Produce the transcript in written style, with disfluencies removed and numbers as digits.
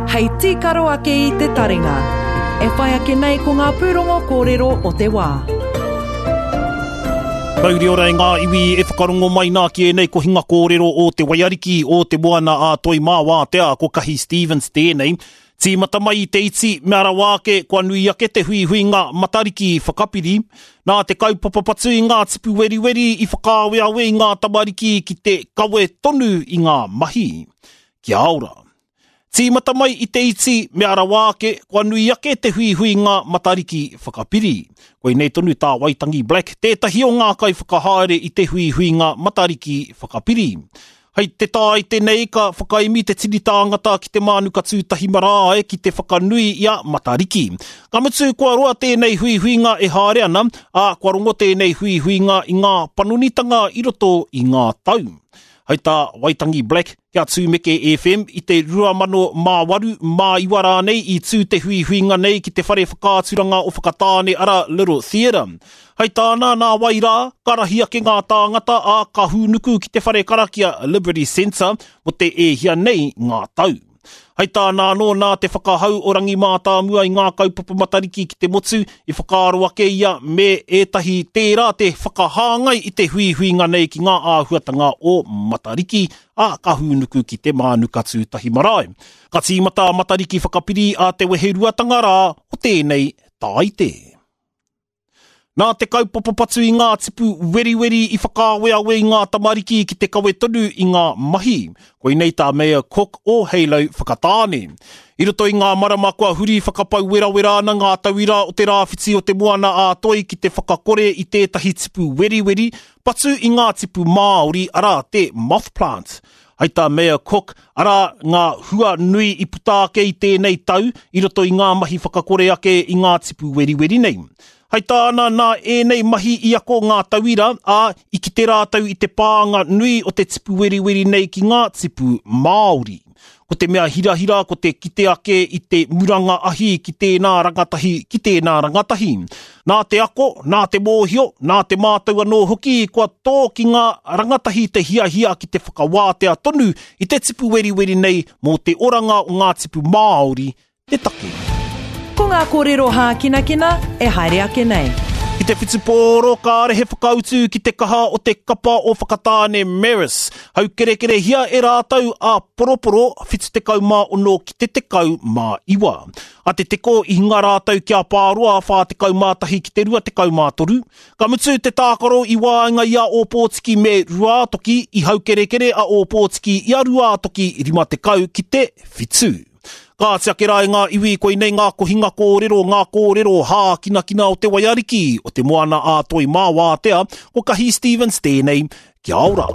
Hei tīkaro ake i te taringa. E whai ake nei ko ngā pūrongo kōrero o te wā. Mauri ora e ngā iwi e whakarongo mai nā ki ēnei kohinga kōrero o te waiariki o te moana a Toi Mā Wātea, ko Kahi Stevens tēnei. Tīmata mai i te iti, mea rawa ake kua nui ake te huihuinga Matariki whakapiri. Nā te kaupapa patu i ngā tipu weriweri i whakaaweawe i ngā tamariki ki te kawe tonu i ngā mahi. Kia ora. Tīmata mai i te iti, mea rawa ake, kua nui ake te huihuinga Matariki whakapiri. Koinei tonu tā Waitangi Black, tētahi o ngā kaiwhakahaere i te huihuinga Matariki whakapiri. Hei te Tāite nei ka whakaemi te tini tāngata ki te Mānuka Tūtahi Marae ki te whakanui i a Matariki. Ka mutu kua roa tēnei huihuinga e haere ana, ā, kua rongo tēnei huihuinga i ngā panonitanga i roto i ngā tau. Hei tā Waitangi Black, kia Tūmeke FM, i te 2008, mā iwa rānei i tū te huihuinga nei ki te whare whakaaturanga o Whakatāne arā Little Theatre. Hei tāna, nā wai rā, ka rahi ake ngā tāngata, ā, ka hūnuku ki te whare karakia Liberty Centre mō te e hia nei ngā tau. Hei tāna anō, nā te whakahau o Rangi Mātāmua i ngā kaupapa Matariki ki te motu, i whakaaro ake ia me ētahi tērā te whakahāngai i te huihuinga nei ki ngā āhuatanga o Matariki, ā, ka hūnuku ki te Mānuka Tūtahi Marae. Ka tīmata a Matariki whakapiri a te weheruatanga rā o tēnei Tāite. Nā te kaupapa patu i ngā tipu weriweri i whakaaweawe i ngā tamariki ki te kawe tonu i ngā mahi. Koinei tā Mayor Cook o Halo Whakatāne. I roto i ngā marama kua huri whakapau werawera ana ngā tauira o te rāwhiti o te Moana a Toi ki te whakakore i tētahi tipu weriweri patu i ngā tipu māori arā te moth plant. Hei tā Mayor Cook, arā ngā hua nui i puta ake i tēnei tau i roto i ngā mahi whakakore ake i ngā tipu weriweri nei. Hei tāna, nā ēnei mahi i ako ngā tauira, ā, i kite rātou i te pānga nui o te tipu weriweri nei ki ngā tipu Māori. Ko te mea hirahira ko te kite ake i te muranga ahi ki tēnā rangatahi, ki tēnā rangatahi. Nā te ako, nā te mōhio, nā te mātau anō hoki kua tō ki ngā rangatahi te hiahia ki te whakawātea tonu i te tipu weriweri nei mō te oranga o ngā tipu Māori te take. Ko ngā kōrero hākinakina e haere ake nei. Ki te whutupōro, kāre he whakautu ki te kaha o te kapa o Whakatāne Marist. Haukerekerehia e rātou a Poroporo 76 ki te 19. A Te Teko i hinga rātou ki a Pāroa 41 ki te 23. Ka mutu te tākaro i waenga i a Ōpōtiki me Ruātoki, i haukerekere a Ōpōtiki i a Ruātoki 50 ki te 7. Kāti ake rā e ngā iwi, koinei ngā kohinga kōrero, ngā kōrero hākinakina o te waiariki, o te moana ā Toi mā wātea, ko Kahi Stevens tēnei, kia ora!